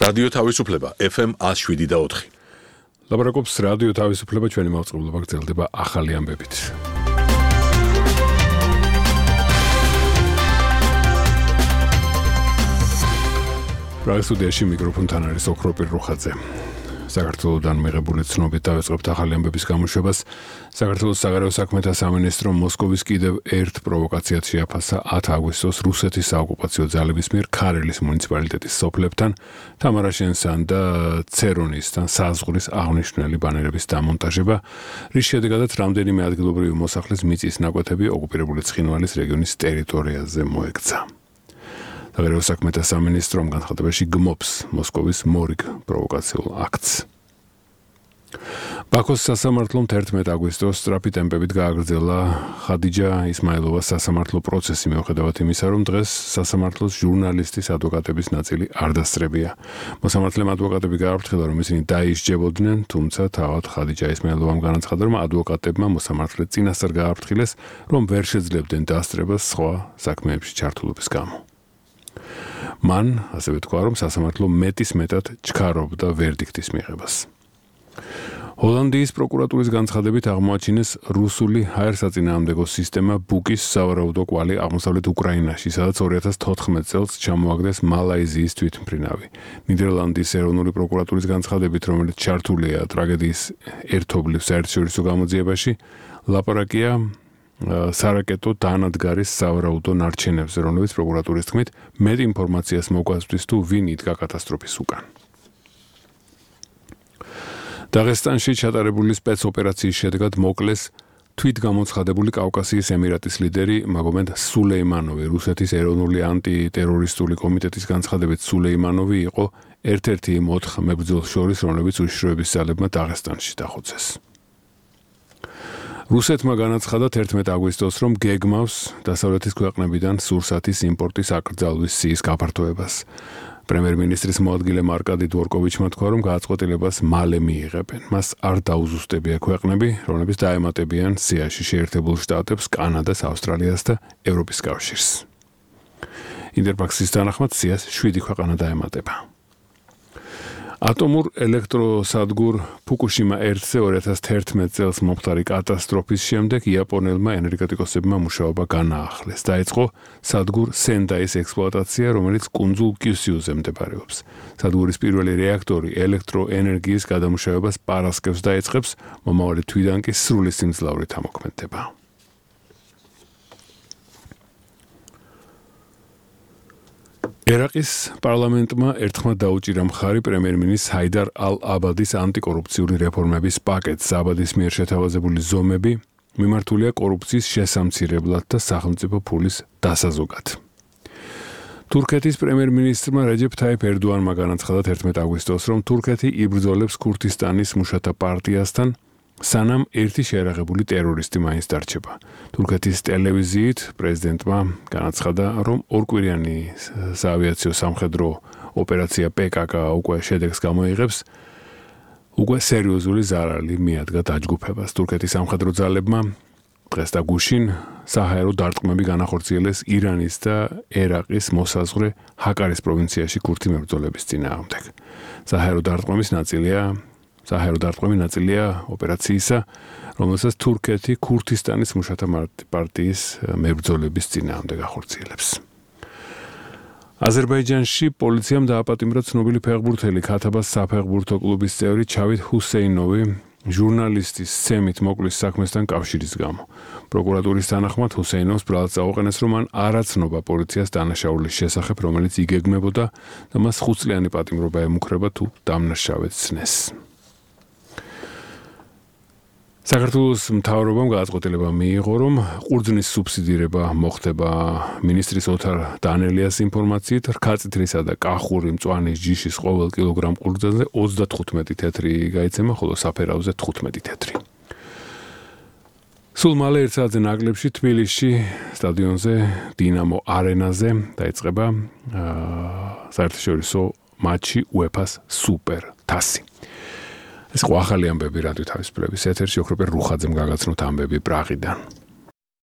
რადიო თავისუფლება FM 107.4. ლაპარაკობს რადიო თავისუფლება, ჩვენი მაუწყებლობა გრძელდება ახალი ამბებით. პრაღის სტუდიაში მიკროფონთან არის ოქროპირ რუხაძე. საქართველოსთან მიღებული ცნობით დავიწყებთ ახალი ამბების გამოშვებას. საქართველოს საგარეო საქმეთა სამინისტრო მოსკოვის კიდევ ერთ პროვოკაციად შეაფასა 10 აგვისტოს რუსეთის საოკუპაციო ძალების მიერ ქარელის მუნიციპალიტეტის სოფლებთან, თამარაშენსთან და ცერონისთან საზღვრის აღნიშნული ბანერების დამონტაჟება, რის შედეგადაც რამდენიმე ადგილობრივი მოსახლის მიწის ნაკვეთები ოკუპირებული ცხინვალის რეგიონის ტერიტორიაზე მოექცა. საგარეო საქმეთა სამინისტრომ განცხადებაში გმობს მოსკოვის მორიგ პროვოკაციულ აქტს. ბაქოს სასამართლომ 11 აგვისტოს სწრაფი ტემპებით გააგრძელა ხადიჯა ისმაილოვას სასამართლო პროცესი მიუხედავად იმისა, რომ დღეს სასამართლოს ჟურნალისტის ადვოკატების ნაწილი არ დასწრებია. მოსამართლემ ადვოკატები გააფრთხილა, რომ ისინი დაისჯებოდნენ, თუმცა თავად ხადიჯა ისმაილოვამ განაცხადა, რომ ადვოკატებმა მოსამართლე წინასწარ გააფრთხილეს, რომ ვერ შეძლებდნენ დასწრებას სხვა საქმეებში ჩართულობის გამო. მან ასევე თქვა, რომ სასამართლო მეტისმეტად ჩქარობდა ვერდიქტის მიღებას. ჰოლანდიის პროკურატურის განცხადებით აღმოაჩინეს რუსული ჰაერსაწინააღმდეგო სისტემა ბუკის სავარაუდო კვალი აღმოსავლეთ უკრაინაში, სადაც 2014 წელს ჩამოაგდეს მალაიზიის თვითმფრინავი. ნიდერლანდის ეროვნული პროკურატურის განცხადებით, რომელიც ჩართულია ტრაგედიის ერთობლივ საერთაშორისო გამოძიებაში, ლაპარაკია სარაკეტო დანადგარის სავარაუდო ნარჩენებზე, რომლებიც პროკურატურის თქმით მეტ ინფორმაციას მოგვასწვის თუ ვინ იდგა კატასტროფის უკან. დაღესტანში ჩატარებული სპეცოპერაციის შედეგად მოკლეს თვითგამოცხადებული კავკასიის ემირატის ლიდერი მაგომედ სულეიმანოვი. რუსეთის ეროვნული ანტიტერორისტული კომიტეტის განცხადებით სულეიმანოვი იყო ერთ-ერთი იმ 4 მებრძოლს შორის, რომლებიც უშიშროების ძალებმა დაღესტანში დახოცეს. რუსეთმა განაცხადა 11 აგვისტოს, რომ გეგმავს დასავლეთის ქვეყნებიდან სურსათის იმპორტის აკრძალვის სიის გაფართოებას. პრემიერ-მინისტრის მოადგილე მარკადი დვორკოვიჩმა თქვა, რომ გადაწყვეტილებას მალე მიიღებენ. მას არ დაუზუსტებია ქვეყნები, რომლებიც დაემატებიან სიაში შეერთებულ შტატებს, კანადას, ავსტრალიას და ევროპის კავშირს. ინტერფაქსის თანახმად სიას 7 ქვეყანა დაემატება. ატომურ ელექტროსადგურ ფუკუშიმა 1-ზე 2011 წელს მომხდარი კატასტროფის შემდეგ იაპონელმა ენერგეტიკოსებმა მუშაობა განაახლეს. დაიწყო სადგურ სენდაის ექსპლუატაცია, რომელიც კუნძულ კიუსიუზე მდებარეობს. სადგურის პირველი რეაქტორი ელექტროენერგიის გადამუშავებას პარასკევს დაიწყებს, მომავალი თვიდან კი სრული სიმძლავრით ამოქმედება. ერაყის პარლამენტმა ერთხმად დაუჭირა მხარი პრემიერ-მინისტრ ჰაიდარ ალ-აბადის ანტიკორუფციული რეფორმების პაკეტს. აბადის მიერ შეთავაზებული ზომები მიმართულია კორუფციის შესამცირებლად და სახელმწიფო ფულის დასაზოგად. თურქეთის პრემიერ-მინისტრმა რეჯეფ თაიფ ერდოანმა განაცხადა 11 აგვისტოს, რომ თურქეთი იბრძოლებს ქურთისტანის მუშათა პარტიასთან, სანამ ერთი შეერაღებული ტერორისტი მაინც დარჩება. თურქეთის ტელევიზიით პრეზიდენტმა განაცხადა, რომ ორკვირიანი საავიაციო სამხედრო ოპერაცია PKK უკვე შედეგს გამოიღებს, უკვე სერიოზული ზარალი მიადგა დაჯგუფებას. თურქეთის სამხედრო ძალებმა დღეს და გუშინ საჰაერო დარტყმები განახორციელეს ირანის და ერაყის მოსაზღვრე ჰაკარის პროვინციაში ქურთი მებრძოლების წინააღმდეგ. საჰაერო დარტყმები ნაწილია ოპერაციისა, რომელსაც თურქეთი ქურთისტანის მუშათა პარტიის მებრძოლების წინააღმდეგ ახორციელებს. აზერბაიჯანში პოლიციამ დააპატიმრა ცნობილი ფეხბურთელი ქათაბას საფეხბურთო კლუბის წევრი ჩავით ჰუსეინოვი ჟურნალისტის სცემით მოკლის საქმესთან კავშირის გამო. პროკურატურის თანახმად ჰუსეინოვს ბრალად წაუყენეს, რომ მან არ აცნობა პოლიციას დანაშაულის შესახებ, რომელიც იგეგმებოდა და მას 5 წლიანი პატიმრობა ემუქრება თუ დამნაშავედ ცნეს. საქართველოს მთავრობამ გადაწყვეტილება მიიღო, რომ ყურძნის სუბსიდირება მოხდება მინისტრის ოთარ დანელიას ინფორმაციით, რქაწითლისა და კახური მწვანის ჯიშის ყოველ კილოგრამ ყურძნზე 35 თეთრი გაიცემა, ხოლო საფერავზე 15 თეთრი. სულ მალე 1 საათზე ნაკლებში თბილისში სტადიონზე დინამო არენაზე დაიწყება საერთაშორისო მატჩი UEFA-ს სუპერ თასი. ეს ახალი ამბები რადიო თავისუფლების ეთერში ოქროპერ რუხაძემ გაგაცნოთ ამბები პრაღიდან.